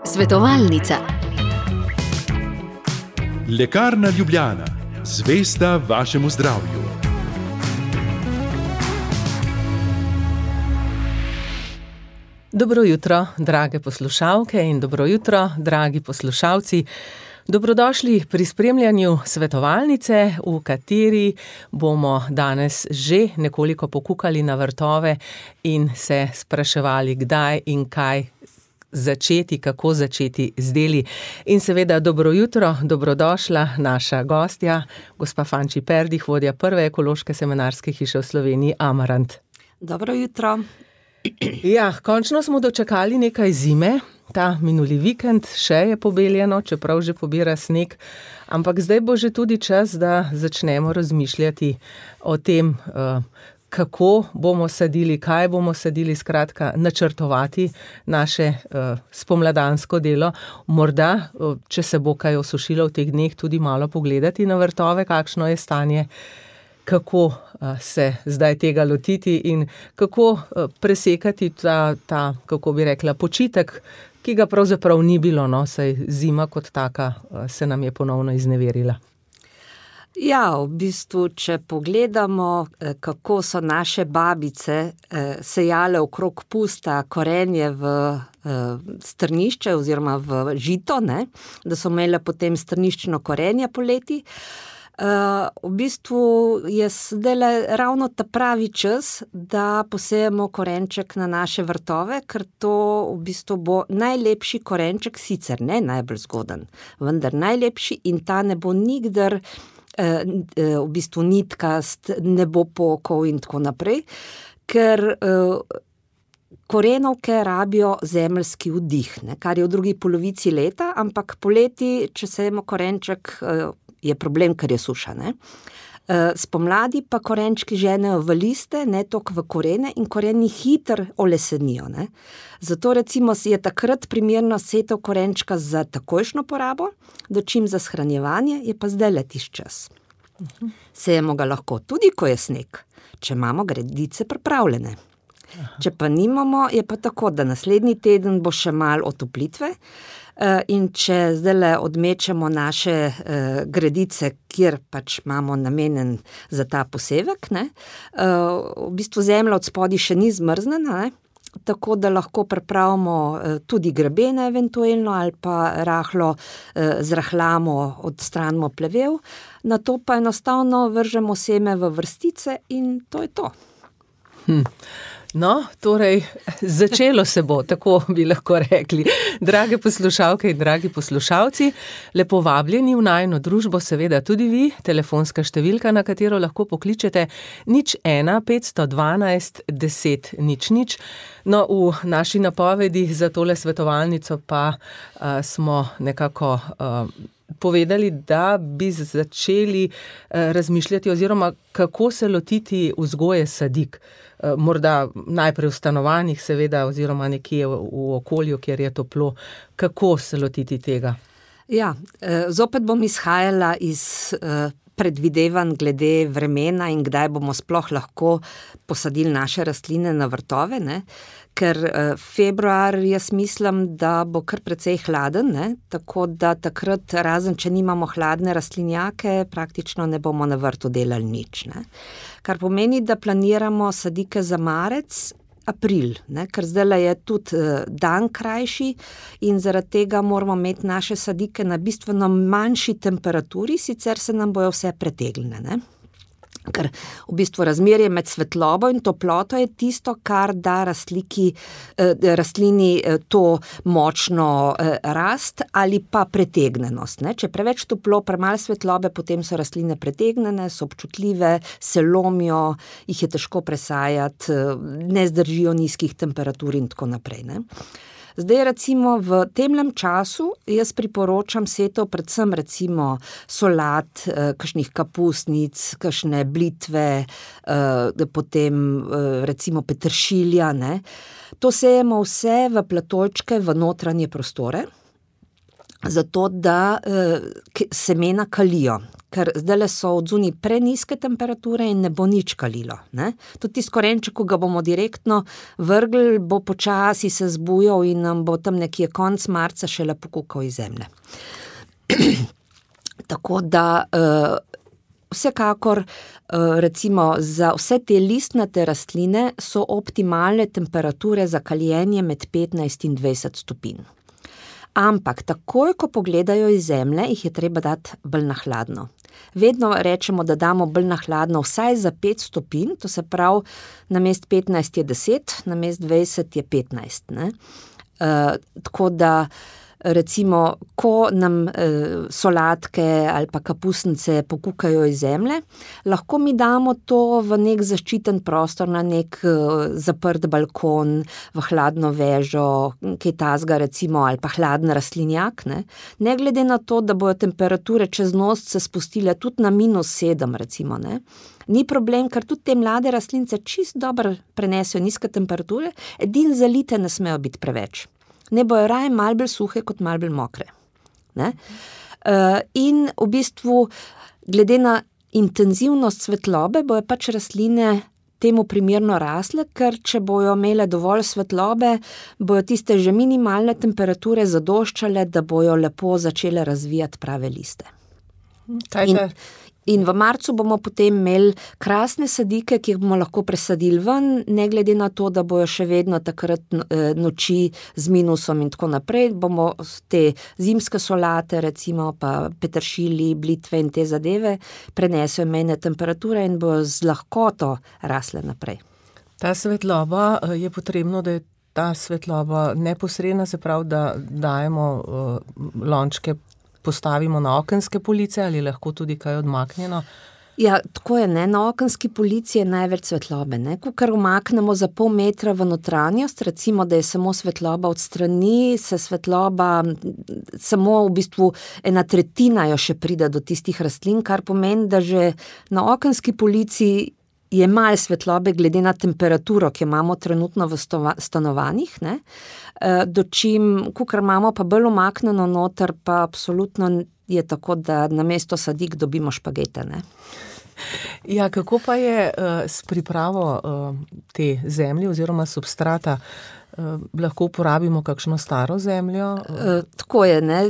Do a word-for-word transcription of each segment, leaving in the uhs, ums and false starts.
Svetovalnica. Lekarna Ljubljana, zvesta vašemu zdravju. Dobro jutro, drage poslušalke in dobro jutro, dragi poslušalci. Dobrodošli pri spremljanju svetovalnice, v kateri bomo danes že nekoliko pokukali na vrtove in se spraševali, kdaj in kaj začeti, kako začeti z deli. In seveda dobro jutro, dobrodošla naša gostja, gospa Fanči Perdih, vodja prve ekološke semenarske hiše v Sloveniji Amarant. Dobro jutro. Ja, končno smo dočakali nekaj zime. Ta minuli vikend še je pobeljeno, čeprav že pobira sneg, ampak zdaj bo že tudi čas, da začnemo razmišljati o tem, kako bomo sadili, kaj bomo sadili, skratka, načrtovati naše spomladansko delo. Morda, če se bo kaj osušilo v teh dneh, tudi malo pogledati na vrtove, kakšno je stanje, kako se zdaj tega lotiti in kako presekati ta, ta, kako bi rekla, počitek, ki ga pravzaprav ni bilo, no, saj zima kot taka se nam je ponovno izneverila. Ja, v bistvu, če pogledamo, kako so naše babice sejale okrog pusta korenje v strnišče oziroma v žito, ne, da so imele potem strniščno korenje poleti. Uh, v bistvu je zdaj ravno ta pravi čas, da posejemo korenček na naše vrtove, ker to v bistvu bo najlepši korenček, sicer ne najbolj zgoden, vendar najlepši in ta ne bo nikdar uh, uh, v bistvu nitkast, ne bo pokal in tako naprej, ker uh, korenovke rabijo zemeljski vdih, ne, kar je v drugi polovici leta, ampak poleti, če sejemo korenček, uh, je problem, ker je suša, ne. Spomladi pa korenčki ženejo v liste, ne toliko v korene in koreni hitro olesenijo, ne. Zato recimo je takrat primerno setev korenčka za takojšnjo porabo, dočim za shranjevanje, je pa zdaj letiš čas. Sejemo ga lahko tudi, ko je sneg, če imamo gredice pripravljene. Aha. Če pa nimamo, je pa tako, da naslednji teden bo še malo otoplitve, in če zdajle odmečemo naše uh, gredice, kjer pač imamo namenen za ta posevek, ne, uh, v bistvu zemlja od spodaj še ni zmrznjena, ne, tako da lahko pripravimo uh, tudi grebene eventualno ali pa rahlo uh, zrahljamo, odstranimo plevel, nato pa enostavno vržemo seme v vrstice in to je to. Hm. No, torej, začelo se bo, tako bi lahko rekli. Drage poslušalke in dragi poslušalci, lepo vabljeni v najino družbo, seveda tudi vi, telefonska številka, na katero lahko pokličete nič ena petsto dvanajst deset nič nič. No, v naši napovedi za tole svetovalnico pa uh, smo nekako uh, povedali, da bi začeli uh, razmišljati oziroma kako se lotiti vzgoje sadik. Morda najprej v stanovanjih, seveda, oziroma nekje v, v okolju, kjer je toplo. Kako se lotiti tega? Ja, zopet bom izhajala iz predvidevanj glede vremena in kdaj bomo sploh lahko posadili naše rastline na vrtove, ne? Ker februar, jaz mislim, da bo kar precej hladen, ne? Tako da takrat, razen če nimamo hladne rastlinjake, praktično ne bomo na vrtu delali nič, ne? Kar pomeni, da planiramo sadike za marec, april, ne? Ker zdaj je tudi dan krajši in zaradi tega moramo imeti naše sadike na bistveno manjši temperaturi, sicer se nam bojo vse pretegnile, ne. Ker v bistvu razmerje med svetlobo in toploto je tisto, kar da rastliki, rastlini to močno rast ali pa pretegnjenost, ne. Če preveč toplo, premalo svetlobe, potem so rastline pretegnjene, so občutljive, se lomijo, jih je težko presajati, ne zdržijo nizkih temperatur in tako naprej, ne. Zdaj recimo v temlem času jaz priporočam setev predvsem recimo solat, kakšnih kapusnic, kakšne blitve, potem recimo peteršilja, ne. To sejemo vse v platojčke v notranje prostore. zato da uh, semena kalijo. Ker zdaj so odzuni preniske temperature in ne bo nič kalilo. Ne? Tudi tisti korenček, ko ga bomo direktno vrgli, bo počasi se zbujal in nam bo tam nekje konc marca šele pokukal iz zemlje. Tako da uh, vsekakor uh, recimo za vse te listnate rastline so optimalne temperature za kaljenje med petnajst in dvajset stopinj. Ampak takoj, ko pogledajo iz zemlje, jih je treba dati bolj na hladno. Vedno rečemo, da damo bolj na hladno vsaj za pet stopinj, to se pravi, namest petnajst je deset, namest dvajset je petnajst. Ne? Uh, tako da recimo, ko nam eh, solatke ali pa kapusnice pokukajo iz zemlje, lahko mi damo to v nek zaščiten prostor, na nek eh, zaprt balkon, v hladno vežo, kaj tazga recimo, ali pa hladen rastlinjak. Ne? ne glede na to, da bojo temperature čez noč se spustile tudi na minus sedem recimo, ne? Ni problem, ker tudi te mlade rastlince čist dobro prenesejo nizke temperature, edin zalite ne smejo biti preveč. Ne bojo raje malo bolj suhe kot malo bolj mokre. Ne? Uh, in v bistvu, glede na intenzivnost svetlobe, bojo pač rastline temu primerno rasle, ker če bojo imele dovolj svetlobe, bojo tiste že minimalne temperature zadoščale, da bojo lepo začele razvijati prave liste. Kaj in, in v marcu bomo potem imeli krasne sadike, ki jih bomo lahko presadili ven, ne glede na to, da bojo še vedno takrat noči z minusom in tako naprej, bomo te zimske solate, recimo pa peteršilji, blitve in te zadeve prenesejo mejne temperature in bojo z lahkoto rasle naprej. Ta svetloba je potrebno, da je ta svetloba neposredna, se pravi, da dajemo uh, lončke postavimo na okenske police ali lahko tudi kaj odmaknjeno? Ja, tako je, ne, na okenski polici je največ svetlobe, ne, ko kar umaknemo za pol metra v notranjost, recimo, da je samo svetloba od strani, se svetloba, samo v bistvu ena tretjina jo še pride do tistih rastlin, kar pomeni, da že na okenski polici je malo svetlobe glede na temperaturo, ki imamo trenutno v stanovanjih, ne, dočim, kakor imamo pa bolj umaknjeno noter, pa absolutno je tako, da namesto sadik dobimo špagete, ne. Ja, kako pa je uh, s pripravo uh, te zemlje oziroma substrata? Uh, lahko uporabimo kakšno staro zemljo? Uh, tako je, ne.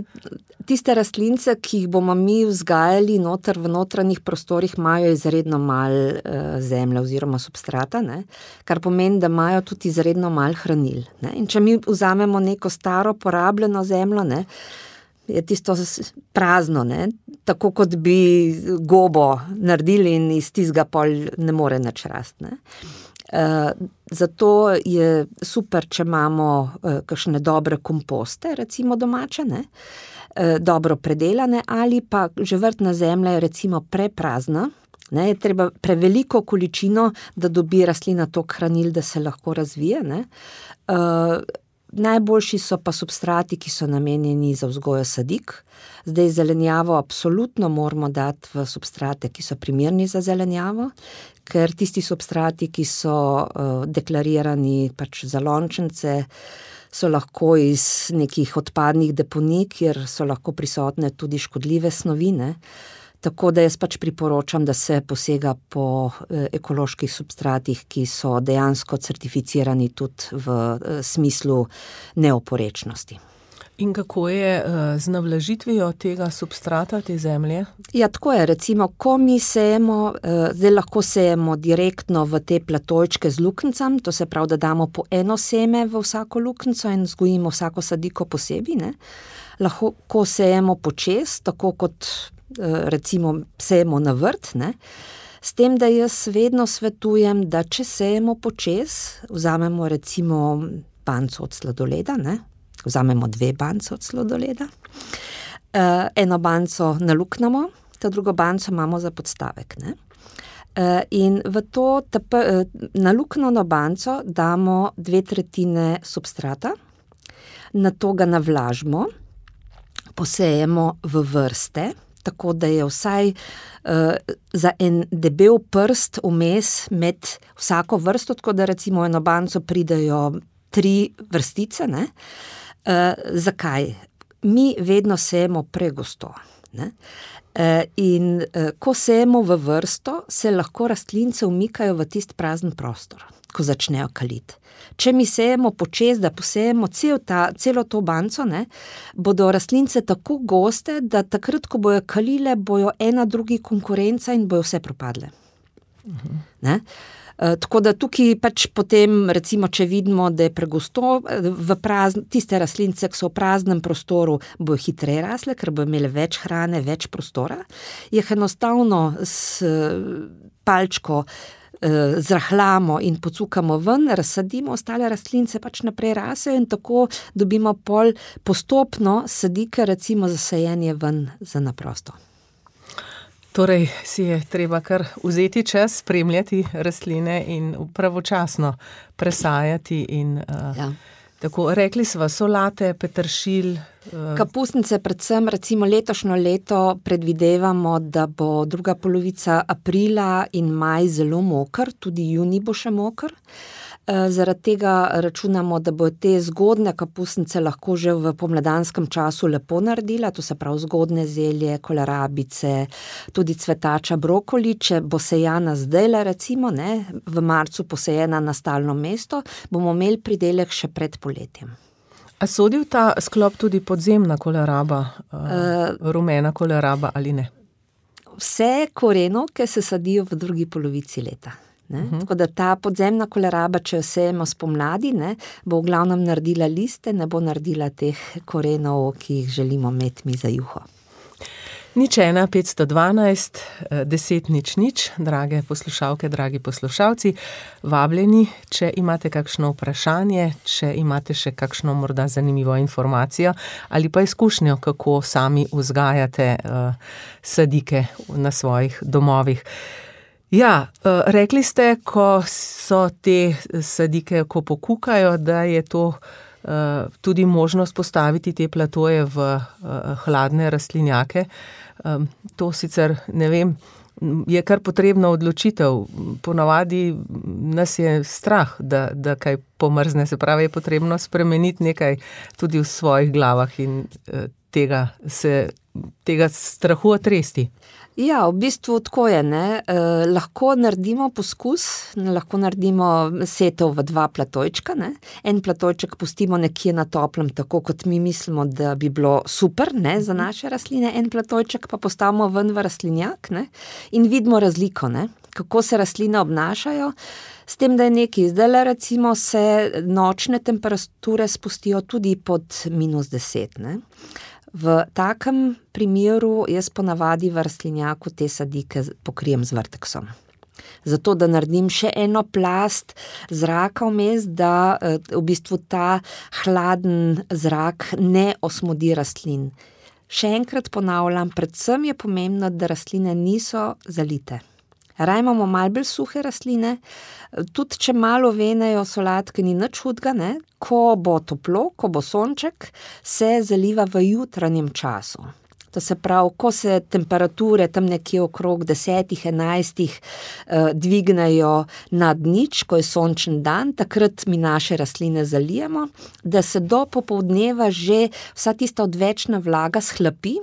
Tiste rastlince, ki jih bomo mi vzgajali noter v notranjih prostorih, imajo izredno malo uh, zemlje oziroma substrata, ne? Kar pomeni, da imajo tudi izredno malo hranil. Ne? In če mi vzamemo neko staro porabljeno zemljo, ne, je tisto prazno, ne? Tako kot bi gobo naredili in iz tistega pol ne more nič rasti. Ne? Uh, zato je super, če imamo uh, kakšne dobre komposte, recimo domače, ne? Uh, dobro predelane, ali pa že vrtna zemlja je recimo preprazna, ne? Je treba preveliko količino, da dobi rastlina toliko hranil, da se lahko razvije, ne? Uh, Najboljši so pa substrati, ki so namenjeni za vzgojo sadik. Zdaj zelenjavo absolutno moramo dati v substrate, ki so primerni za zelenjavo, ker tisti substrati, ki so uh, deklarirani pač za lončence, so lahko iz nekih odpadnih deponij, kjer so lahko prisotne tudi škodljive snovi, ne. Tako da jaz pač priporočam, da se posega po ekoloških substratih, ki so dejansko certificirani tudi v smislu neoporečnosti. In kako je z navlažitvijo tega substrata, te zemlje? Ja, tako je. Recimo, ko mi sejemo, zdaj lahko sejemo direktno v te platojčke z luknjicam, to se pravi, da damo po eno seme v vsako luknjico in vzgojimo vsako sadiko posebej, ne. Lahko sejemo počez, tako kot recimo sejemo na vrt, ne. S tem, da jaz vedno svetujem, da če sejemo počez, vzamemo recimo banco od sladoleda, ne. Vzamemo dve banco od sladoleda, uh, eno banco naluknemo, ta drugo banco imamo za podstavek, ne. Uh, in v to tap, uh, naluknjeno banco damo dve tretjine substrata, nato ga navlažimo, posejemo v vrste, tako da je vsaj uh, za en debel prst vmes med vsako vrsto, tako da recimo eno banco pridejo tri vrstice, ne. Uh, zakaj? mi vedno sejemo pregosto, ne. In ko sejemo v vrsto, se lahko rastlince umikajo v tist prazen prostor, ko začnejo kaliti. Če mi sejemo počez, da posejemo cel ta, celo to banco, ne, bodo rastlince tako goste, da takrat, ko bojo kalile, bojo ena drugi konkurenca in bojo vse propadle. Uh-huh. Ne? E, tako da tukaj pač potem, recimo, če vidimo, da je pregosto, v prazn, tiste rastlince, ki so v praznem prostoru, bojo hitreje rasle, ker bojo imele več hrane, več prostora. Jih enostavno s palčko zrahljamo in pocukamo ven, razsadimo, ostale rastlince pač naprej rasejo in tako dobimo pol postopno sadike, recimo za sajenje ven za naprosto. Torej si je treba kar vzeti čas, spremljati rastline in pravočasno presajati in uh, ja. Tako, rekli sva solate, peteršilj. Uh... Kapusnice predvsem, recimo letošnjo leto predvidevamo, da bo druga polovica aprila in maj zelo moker, tudi junij bo še moker. Zaradi tega računamo, da bo te zgodne kapusnice lahko že v pomladanskem času lepo naredila, to se pravi zgodne zelje, kolerabice, tudi cvetača brokoli, če bo sejana zdajle recimo, ne, v marcu posejena na stalno mesto, bomo imeli pridelek še pred poletjem. A sodi v ta sklop tudi podzemna koleraba, uh, rumena koleraba ali ne? Vse korenovke se sadijo v drugi polovici leta. Ne? Uh-huh. Tako da ta podzemna koleraba, če jo sejemo spomladi, ne, bo v glavnem naredila liste, ne bo naredila teh korenov, ki jih želimo imeti mi za juho. Nič ena, petsto dvanajst, deset nič nič, drage poslušalke, dragi poslušalci, vabljeni, če imate kakšno vprašanje, če imate še kakšno morda zanimivo informacijo ali pa izkušnjo, kako sami vzgajate uh, sadike na svojih domovih. Ja, rekli ste, ko so te sadike, ko pokukajo, da je to uh, tudi možnost postaviti te platoje v uh, hladne rastlinjake. Um, to sicer, ne vem, je kar potrebna odločitev. Ponavadi nas je strah, da, da kaj pomrzne, se pravi, je potrebno spremeniti nekaj tudi v svojih glavah in uh, tega, se, tega strahu otresti. Ja, v bistvu tako je, ne, eh, lahko naredimo poskus, lahko naredimo setev v dva platojčka, ne, en platojček pustimo nekje na toplem, tako kot mi mislimo, da bi bilo super, ne, za naše rastline, en platojček pa postavimo ven v rastlinjak, ne, in vidimo razliko, ne, kako se rastline obnašajo, s tem, da je nekaj, zdajle recimo se nočne temperature spustijo tudi pod minus deset, ne. V takem primeru jaz ponavadi v rastlinjaku te sadike pokrijem z vrteksom. Zato, da naredim še eno plast zraka vmes, da v bistvu ta hladen zrak ne osmodi rastlin. Še enkrat ponavljam, predvsem je pomembno, da rastline niso zalite. Raj imamo malo bolj suhe rastline, tudi če malo venejo solatke, ni nič hudega, ne? Ko bo toplo, ko bo sonček, se zaliva v jutranjem času. To se pravi, ko se temperature tam nekje okrog desetih, enajstih eh, dvignejo nad nič, ko je sončen dan, takrat mi naše rastline zalijemo, da se do popoldneva že vsa tista odvečna vlaga shlapi,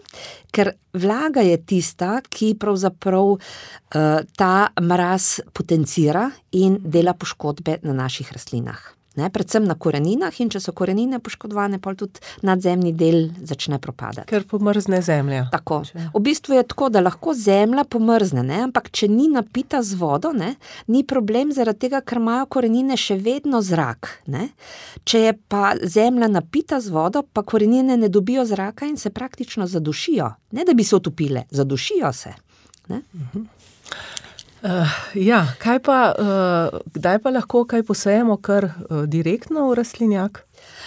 ker vlaga je tista, ki pravzaprav eh, ta mraz potencira in dela poškodbe na naših rastlinah. Ne, predvsem na koreninah in če so korenine poškodovane, pol tudi nadzemni del začne propadati. Ker pomrzne zemlja. Tako. V bistvu je tako, da lahko zemlja pomrzne, ne, ampak če ni napita z vodo, ne, ni problem zaradi tega, ker imajo korenine še vedno zrak. Ne. Če je pa zemlja napita z vodo, pa korenine ne dobijo zraka in se praktično zadušijo. Ne, da bi se utopile, zadušijo se. Ne. Uh-huh. Uh, ja, kaj pa, uh, kdaj pa lahko kaj posejemo kar uh, direktno v rastlinjak?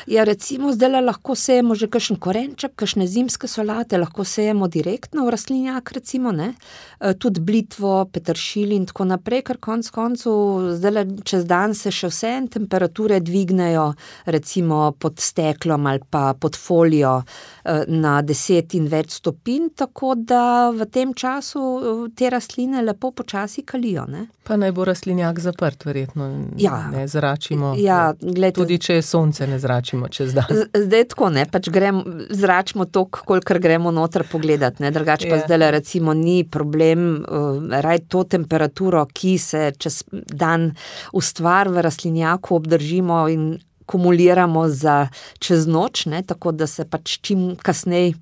Ja, recimo zdaj lahko sejemo že kakšen korenček, kakšne zimske solate, lahko sejemo direktno v rastlinjak, recimo, ne, e, tudi blitvo, peteršilj in tako naprej, ker konc koncu zdaj čez dan se še vse temperature dvignejo, recimo pod steklom ali pa pod folijo e, na deset in več stopinj, tako da v tem času te rastline lepo počasi kalijo, ne. Pa naj bo rastlinjak zaprt, verjetno, ja, ne zračimo, ja, glede, tudi če je sonce ne prezračimo čez dan. Zdaj tako, ne, pač gremo, zračimo toliko, kolikor gremo noter pogledat, ne, drugače pa Ja. zdaj recimo ni problem, uh, raj to temperaturo, ki se čez dan ustvar v rastlinjaku obdržimo in kumuliramo za čez noč, ne, tako da se pač čim kasneje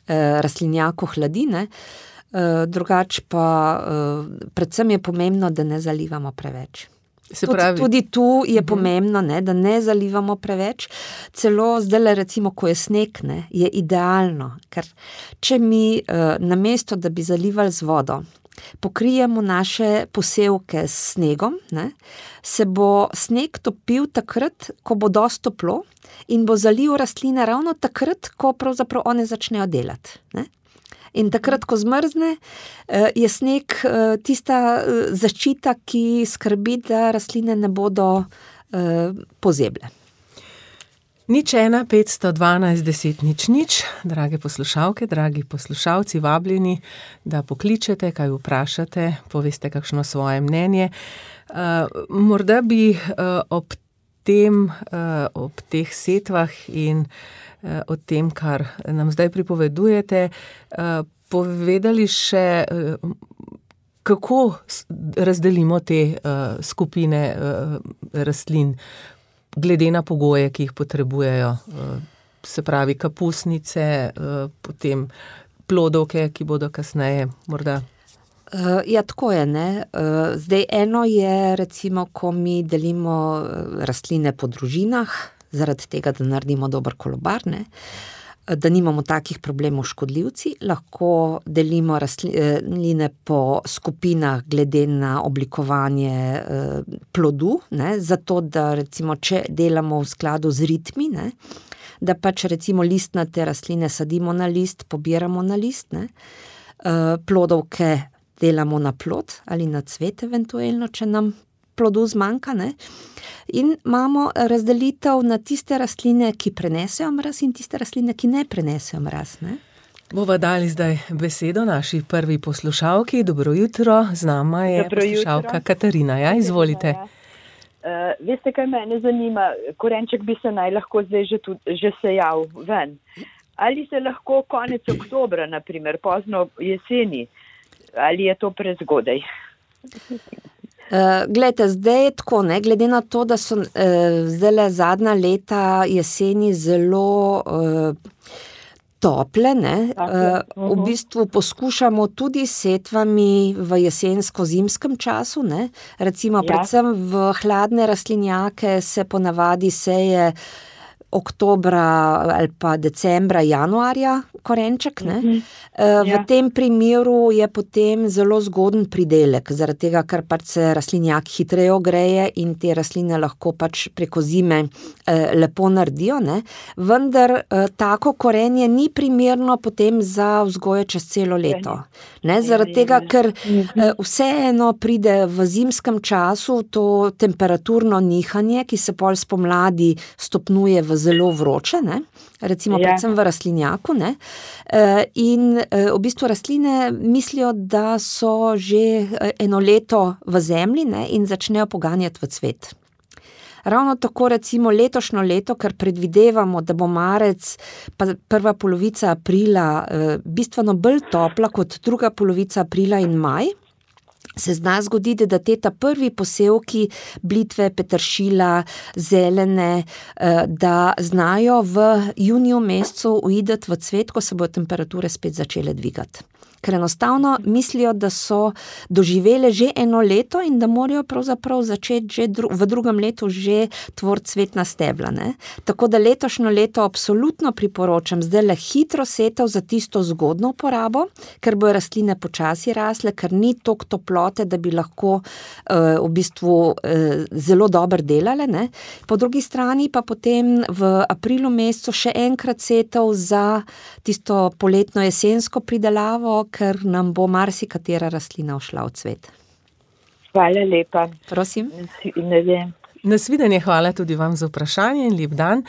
eh, rastlinjako hladi, ne. Uh, drugače pa uh, predvsem je pomembno, da ne zalivamo preveč. Se Tudi, pravi, tudi tu je pomembno, ne, da ne zalivamo preveč. Celo zdaj, recimo, ko je sneg, ne, je idealno, ker če mi uh, namesto, da bi zalivali z vodo, pokrijemo naše posevke s snegom, ne, se bo sneg topil takrat, ko bo dosti toplo in bo zalil rastline ravno takrat, ko pravzaprav one začnejo delati, ne. In takrat, ko zmrzne, je sneg tista zaščita, ki skrbi, da rastline ne bodo pozeble. Nič ena, petsto dvanajst, deset, nič, nič. Drage poslušalke, dragi poslušalci, vabljeni, da pokličete, kaj vprašate, poveste kakšno svoje mnenje. Uh, morda bi uh, ob tem, uh, ob teh setvah in uh, o tem, kar nam zdaj pripovedujete, uh, povedali še, uh, kako razdelimo te uh, skupine uh, rastlin, glede na pogoje, ki jih potrebujejo, se pravi kapusnice, potem plodovke, ki bodo kasneje morda. Ja, tako je, ne. Zdaj eno je, recimo, ko mi delimo rastline po družinah, zaradi tega, da naredimo dober kolobar, ne, da nimamo takih problemov škodljivci, lahko delimo rastline po skupinah glede na oblikovanje plodu, ne, zato da recimo, če delamo v skladu z ritmi, ne, da pač recimo listnate rastline sadimo na list, pobiramo na list, ne, plodovke delamo na plod ali na cvet eventuelno, če nam plodu zmanjka, ne. In imamo razdelitev na tiste rastline, ki prenesejo mraz in tiste rastline, ki ne prenesejo mraz, ne. Bova dali zdaj besedo naši prvi poslušalki. Dobro jutro, z nama je Dobro poslušalka jutro. Katarina. Ja, izvolite. Uh, veste, kaj mene zanima? Korenček bi se naj lahko zdaj že, tudi, že sejal ven. Ali se lahko konec oktobra, naprimer, pozno jeseni, ali je to prezgodaj? Uh, glejte, zdaj je tako, ne, glede na to, da so uh, zdajle zadnja leta jeseni zelo uh, tople, ne, uh, v bistvu poskušamo tudi s setvami v jesensko-zimskem času, ne, recimo Ja. predvsem v hladne rastlinjake se ponavadi seje oktobra ali pa decembra, januarja korenček, ne. Mhm. V Ja. tem primeru je potem zelo zgoden pridelek, zaradi tega, ker pač se rastlinjak hitreje ogreje in te rastline lahko pač preko zime eh, lepo naredijo, ne. Vendar eh, tako korenje ni primerno potem za vzgojo čez celo leto. Ne, zaradi tega, ker eh, vseeno pride v zimskem času to temperaturno nihanje, ki se pol spomladi stopnjuje v zelo vroče, ne, recimo Ja. predvsem v rastlinjaku, ne, e, in e, v bistvu rastline mislijo, da so že eno leto v zemlji, ne, in začnejo poganjati v cvet. Ravno tako recimo letošnjo leto, ker predvidevamo, da bo marec pa prva polovica aprila e, bistveno bolj topla kot druga polovica aprila in maj, se zna zgoditi, da te ta prvi posevki blitve, peteršila, zelene, da znajo v juniju mesecu uideti v cvet, ko se bodo temperature spet začele dvigati. Ker enostavno mislijo, da so doživele že eno leto in da morajo pravzaprav začeti že dru- v drugem letu že tvoriti cvetna stebla, ne. Tako da letošnjo leto absolutno priporočam zdajle hitro setev za tisto zgodno uporabo, ker bojo rastline počasi rasle, ker ni toliko toplote, da bi lahko uh, v bistvu uh, zelo dobro delale, ne. Po drugi strani pa potem v aprilu mesecu še enkrat setev za tisto poletno jesensko pridelavo, ker nam bo marsikatera rastlina ušla v cvet. Hvala lepa. Prosim. Ne vem. Nasvidenje, hvala tudi vam za vprašanje in lep dan.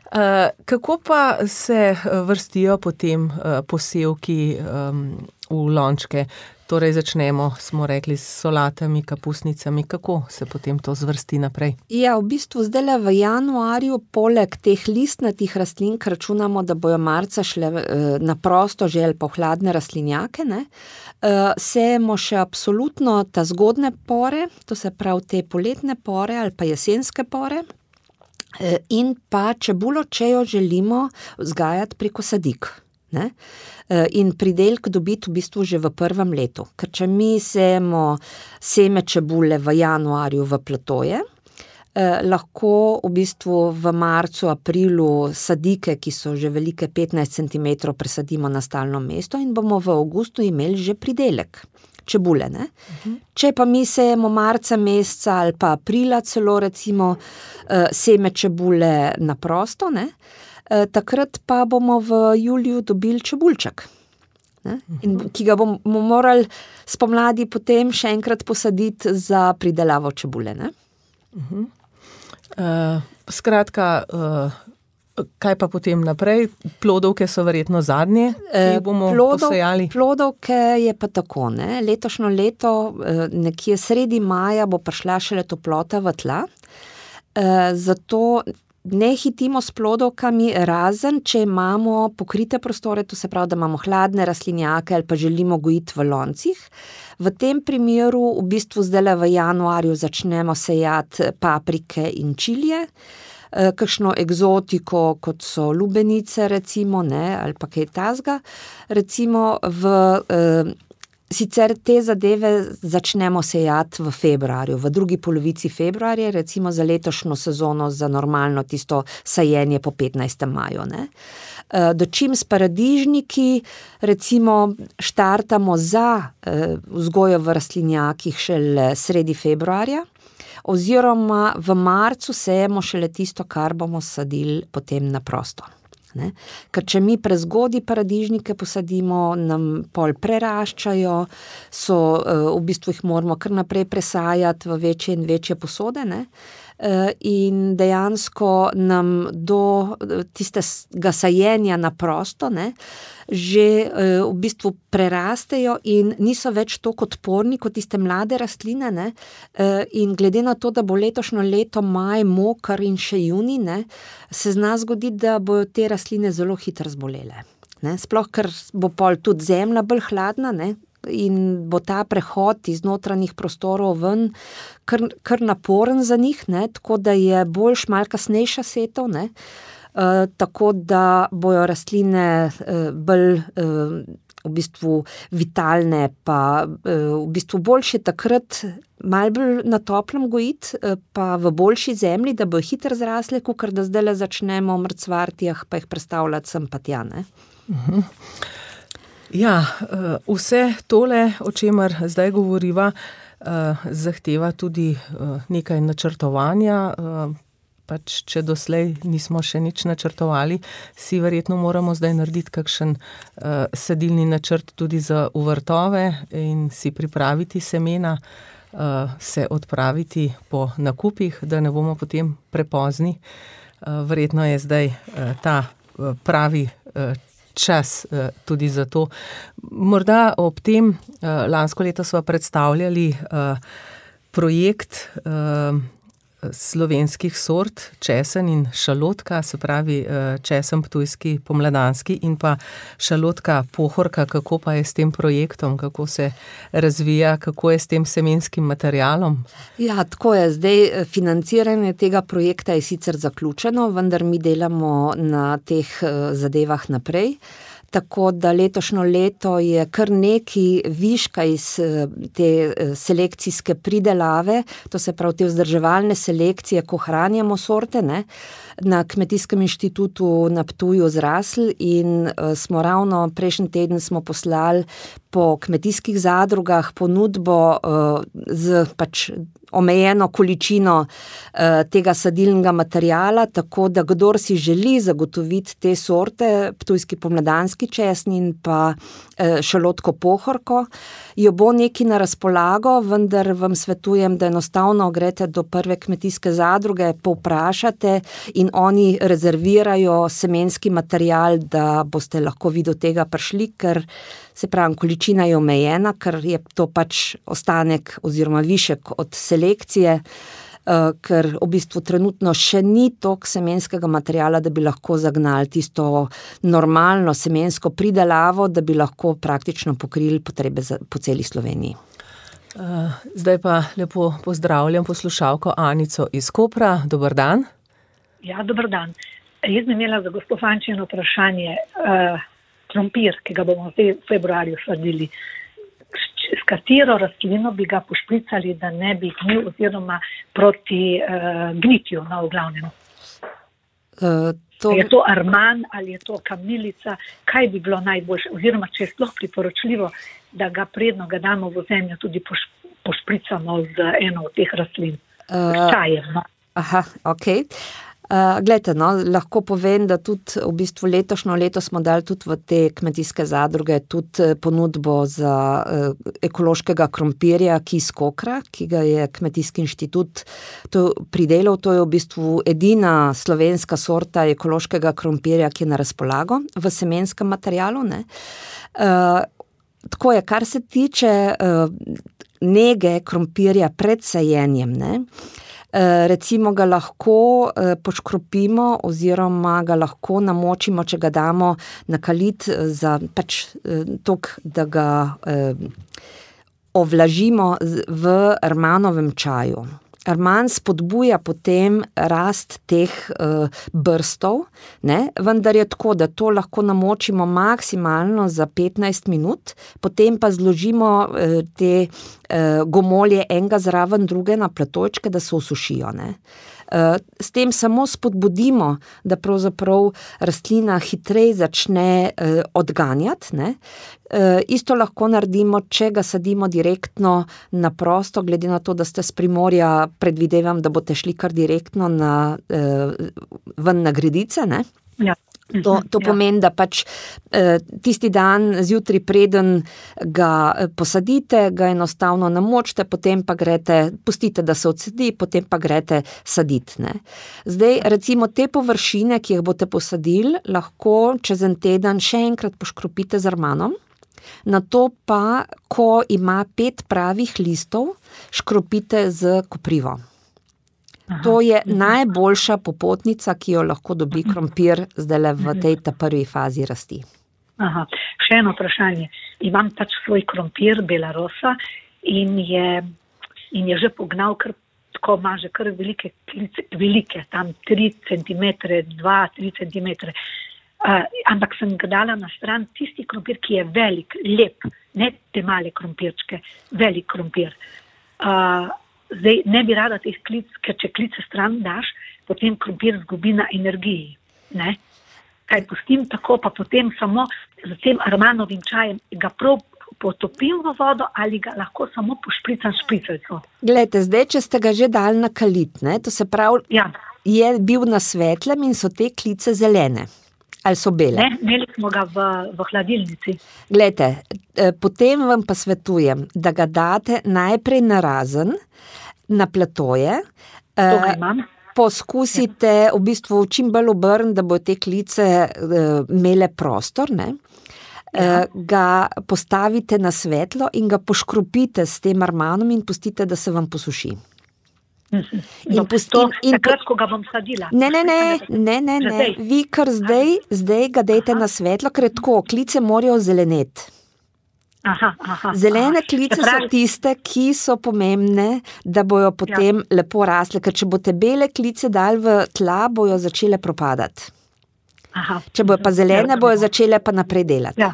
Uh, kako pa se vrstijo potem uh, posevki um, v lončke? torej začnemo, smo rekli, s solatami, kapusnicami, kako se potem to zvrsti naprej? Ja, v bistvu zdaj v januarju, poleg teh listnatih rastlin, ker računamo, da bojo marca šle na prosto že ali pa v hladne rastlinjake, ne, sejemo še absolutno ta zgodne pore, to se pravi te poletne pore ali pa jesenske pore, in pa čebulo, če jo želimo vzgajati preko sadik. Ne? In pridelk dobiti v bistvu že v prvem letu. Ker če mi sejemo seme čebule v januarju v platoje, eh, lahko v bistvu v marcu, aprilu sadike, ki so že velike petnajst centimetrov, presadimo na stalno mesto in bomo v avgustu imeli že pridelek čebule. Ne? Uh-huh. Če pa mi sejemo marca meseca ali pa aprila celo recimo eh, seme čebule na prosto, ne? Takrat pa bomo v juliju dobili čebulček, ne? In ki ga bomo morali spomladi potem še enkrat posaditi za pridelavo čebule. Ne? Uh-huh. Uh, skratka, uh, kaj pa potem naprej? Plodovke so verjetno zadnje, ki jih bomo Plodov, posejali? Plodovke je pa tako, ne? Letošnjo leto, nekje sredi maja bo prišla šele toplota v tla, uh, zato ne hitimo s plodovkami, razen če imamo pokrite prostore, to se pravi, da imamo hladne rastlinjake ali pa želimo gojiti v loncih. V tem primeru v bistvu zdaj v januarju začnemo sejati paprike in čilije, kakšno egzotiko, kot so lubenice recimo, ne, ali pa kaj tazga. Recimo v eh, Sicer te zadeve začnemo sejati v februarju, v drugi polovici februarja, recimo za letošnjo sezono, za normalno tisto sajenje po petnajstem maju. Ne. Dočim s paradižniki, recimo štartamo za vzgojo v rastlinjakih šele sredi februarja, oziroma v marcu sejemo šele tisto, kar bomo sadili potem na prosto. Ne? Ker če mi prezgodi paradižnike posadimo, nam pol preraščajo, so, v bistvu jih moramo kar naprej presajati v večje in večje posode, ne? In dejansko nam do tistega sajenja na prosto, ne, že v bistvu prerastejo in niso več toliko odporni kot tiste mlade rastline, ne, in glede na to, da bo letošnjo leto maj, moker in še junij, ne, se zna zgoditi, da bojo te rastline zelo hitro zbolele. Ne, sploh, ker bo pol tudi zemlja bolj hladna, ne, in bo ta prehod iz notranjih prostorov ven kar, kar naporen za njih, ne, tako da je boljš malo kasnejša setev, ne, uh, tako da bojo rastline uh, bolj uh, v bistvu vitalne, pa uh, v bistvu boljše takrat malo bolj na toplem gojiti, uh, pa v boljši zemlji, da bojo hitro zrasle, kakor da zdaj začnemo mrcvarti, pa jih prestavljati sem pa tja, ne. Uh-huh. Ja, vse tole, o čemer zdaj govoriva, zahteva tudi nekaj načrtovanja, pač če doslej nismo še nič načrtovali, si verjetno moramo zdaj narediti kakšen sadilni načrt tudi za v vrtove in si pripraviti semena, se odpraviti po nakupih, da ne bomo potem prepozni. Verjetno je zdaj ta pravi čas tudi za to. Morda ob tem, lansko leto sva predstavljali projekt slovenskih sort, česen in šalotka, se pravi česen ptujski pomladanski in pa šalotka pohorka, kako pa je s tem projektom, kako se razvija, kako je s tem semenskim materialom? Ja, tako je. Zdaj financiranje tega projekta je sicer zaključeno, vendar mi delamo na teh zadevah naprej. Tako da letošnjo leto je kar neki viška iz te selekcijske pridelave, to se pravi te vzdrževalne selekcije, ko hranjamo sorte, ne, na Kmetijskem inštitutu na Ptuju zrasli in uh, smo ravno prejšnji teden smo poslali po kmetijskih zadrugah ponudbo uh, z pač omejeno količino uh, tega sadilnega materiala, tako da kdor si želi zagotoviti te sorte, ptujski pomladanski česen in pa uh, šalotko pohorko, jo bo neki na razpolago, vendar vam svetujem, da enostavno grete do prve kmetijske zadruge, povprašate in oni rezervirajo semenski material, da boste lahko vi do tega prišli, ker se pravi, količina je omejena, ker je to pač ostanek oziroma višek od selekcije, ker v bistvu trenutno še ni toliko semenskega materiala, da bi lahko zagnali tisto normalno semensko pridelavo, da bi lahko praktično pokrili potrebe za, po celi Sloveniji. Zdaj pa lepo pozdravljam poslušalko Anico iz Kopra. Dober dan. Ja, dober dan. Jaz bi imela za gospod Fančino vprašanje. Uh, krompir, ki ga bomo v februarju sadili, s katero rastlino bi ga pošpricali, da ne bi gnil oziroma proti uh, gnitju, no, v glavnem. Uh, to... Je to arman ali je to kamilica? Kaj bi bilo najboljše? Oziroma, če je sploh priporočljivo, da ga predno ga damo v zemljo, tudi poš, pošpricamo z eno od teh rastlin. Uh, s čajem, no. Aha, okej. Okay. Uh, glejte, no, lahko povem, da tudi v bistvu letošnjo leto smo dali tudi v te kmetijske zadruge tudi ponudbo za uh, ekološkega krompirja Kis Kokra, ki ga je Kmetijski inštitut to pridelal. To je v bistvu edina slovenska sorta ekološkega krompirja, ki je na razpolago v semenskem materialu, ne. Uh, tako je, kar se tiče uh, nege krompirja pred sajenjem, ne. Recimo ga lahko poškropimo oziroma ga lahko namočimo, če ga damo na kalit za pač tok, da ga ovlažimo v armanovem čaju. Arman spodbuja potem rast teh uh, brstov, ne? Vendar je tako, da to lahko namočimo maksimalno za petnajst minut, potem pa zložimo uh, te uh, gomolje enega zraven druge na platojčke, da se osušijo, ne? Uh, s tem samo spodbudimo, da pravzaprav rastlina hitreje začne uh, odganjati, ne? Uh, isto lahko naredimo, če ga sadimo direktno na prosto, glede na to, da ste s Primorja, predvidevam, da boste šli kar direktno na, uh, ven na gredice, ne? Ja. To, to pomeni, da pač eh, tisti dan zjutraj preden ga posadite, ga enostavno namočite, potem pa grete, pustite, da se odsedi, potem pa grete saditi, ne. Zdaj, recimo te površine, ki jih boste posadili, lahko čez en teden še enkrat poškropite z armanom, nato pa, ko ima pet pravih listov, škropite z koprivo. To je najboljša popotnica, ki jo lahko dobi krompir zdaj v tej ta prvi fazi rasti. Aha, še eno vprašanje. Imam pač svoj krompir Belarosa in je, in je že pognal, kar tako ima že kar velike klice, velike, tam tri centimetre, dva, tri centimetre. Uh, ampak sem ga dala na stran tisti krompir, ki je velik, lep, ne te male krompirčke, velik krompir. Uh, Zdaj, ne bi rada teh klic, ker če klice stran daš, potem krompir zgubi na energiji, ne? Kaj pustim tako, pa potem samo z tem armanovim čajem ga prav potopim v vodo ali ga lahko samo pošpricam špricalco. Glejte, zdaj, če ste ga že dali na kalit, ne, to se pravi, ja. Je bil na svetlem in so te klice zelene. Ali so bele? Ne, imeli smo ga v, v hladilnici. Glejte, potem vam pa svetujem, da ga date najprej na razen, na platoje, poskusite v bistvu čim bolj obrniti, da bo te klice uh, imele prostor, ne? Ja. Uh, ga postavite na svetlo in ga poškropite s tem armanom in pustite, da se vam posuši. In no, pusti, to, in takrat, ko ga bom sadila. Ne, ne, ne, ne, ne, ne. Vi kar zdaj, zdaj ga dejte na svetlo, ker je tako, klice morajo zeleneti. Aha, aha, Zelene aha. klice pravi... so tiste, ki so pomembne, da bojo potem ja. lepo rasle, ker če boste bele klice dali v tla, bojo začele propadati. Aha. Če bojo pa zelene, bojo začele pa naprej delati. Ja.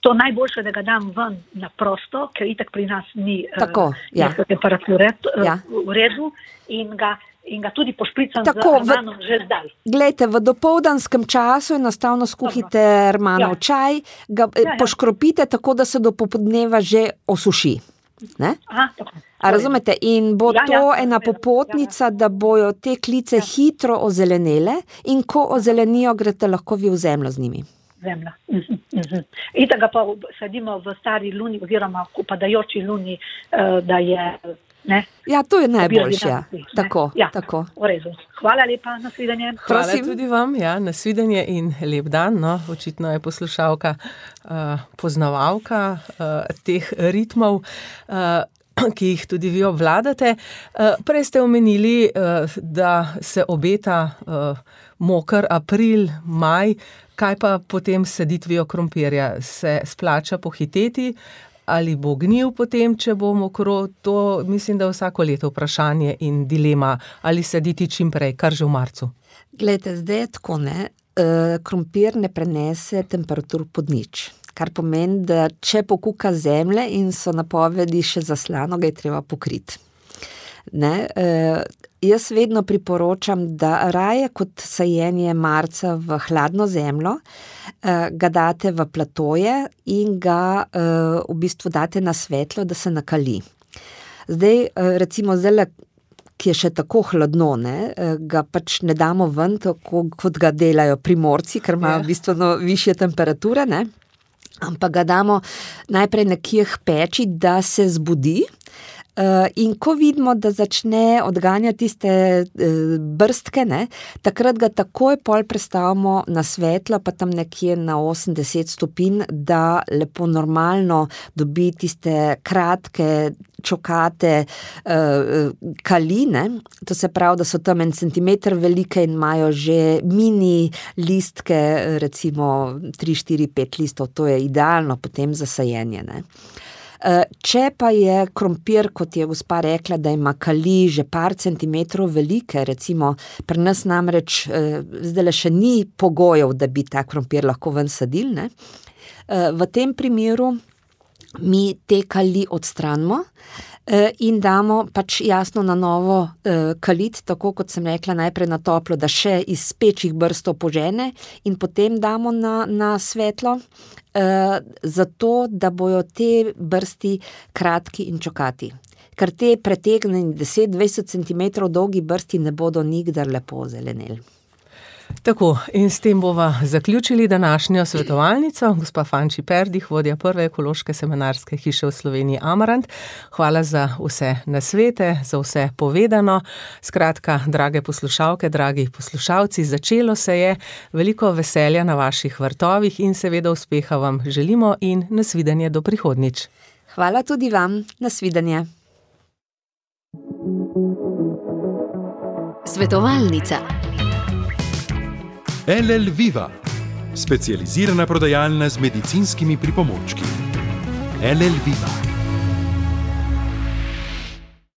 To najboljše, da ga dam ven na prosto, ker itak pri nas ni Tako, uh, ja. temperature uh, ja. v redu in ga, in ga tudi pošpricam Tako, z armanom v... že zdaj. Glejte, v dopoldanskem času enostavno skuhite armanov ja. čaj, ga ja, ja. poškropite tako, da se do popoldneva že osuši. Ne? Aha, tako. A razumete? In bo ja, to ja, ena popotnica, ja, ja. da bojo te klice ja. hitro ozelenele in ko ozelenijo, greste lahko vi v zemljo z njimi. Zemlja. Uh-huh, uh-huh. In tega pa sadimo v stari luni oziroma v upadajoči luni, uh, da je Ne? Ja, to je najboljše. Ja. Tako, ja, tako. V redu. Hvala lepa, nasvidenje. Hvala Prosim. tudi vam, ja, nasvidenje in lep dan. No, očitno je poslušalka uh, poznavalka uh, teh ritmov, uh, ki jih tudi vi obvladate. Uh, prej ste omenili, uh, da se obeta uh, moker april, maj. Kaj pa potem s saditvijo krompirja? Se splača pohiteti? Ali bo gnil potem, če bo mokro? To mislim, da je vsako leto vprašanje in dilema, ali saditi čim prej, kar že v marcu. Glejte, zdaj je tako, ne, e, krompir ne prenese temperatur pod nič, kar pomeni, da če pokuka zemlje in so napovedi še zaslano, ga je treba pokriti. Ne, e, jaz vedno priporočam, da raje kot sajenje marca v hladno zemljo, eh, ga date v platoje in ga eh, v bistvu date na svetlo, da se nakali. Zdaj, eh, recimo zdaj, ki je še tako hladno, ne, eh, ga pač ne damo ven, tako kot ga delajo Primorci, ker ima v bistvu no, višje temperature, ne, ampak ga damo najprej nekje k peči, da se zbudi. Uh, in ko vidimo, da začne odganjati tiste uh, brstke, ne, takrat ga takoj pol prestavimo na svetlo, pa tam nekje na osemdeset stopinj, da lepo normalno dobi tiste kratke čokate uh, kaline, to se pravi, da so tam en centimeter velike in imajo že mini listke, recimo tri, štiri, pet listov, to je idealno potem za sajenje, ne. Če pa je krompir, kot je gospa rekla, da ima kali že par centimetrov velike, recimo pri nas namreč zdaj še ni pogojev, da bi ta krompir lahko ven sadili, ne? V tem primeru mi te kali odstranimo in damo pač jasno na novo kalit, tako kot sem rekla, najprej na toplo, da še iz pečjih brstov požene in potem damo na, na svetlo, zato, da bojo te brsti kratki in čokati. Ker te pretegnjeni deset do dvajset centimetrov dolgi brsti ne bodo nikdar lepo zeleneli. Tako, in s tem bova zaključili današnjo svetovalnico. Gospa Fanči Perdih, vodja prve ekološke semenarske hiše v Sloveniji Amarant. Hvala za vse nasvete, za vse povedano. Skratka, drage poslušalke, dragi poslušalci, začelo se je, veliko veselja na vaših vrtovih in seveda uspeha vam želimo in nasvidenje do prihodnjič. Hvala tudi vam, nasvidenje. Svetovalnica. L L Viva, specializirana prodajalna z medicinskimi pripomočki. L L Viva.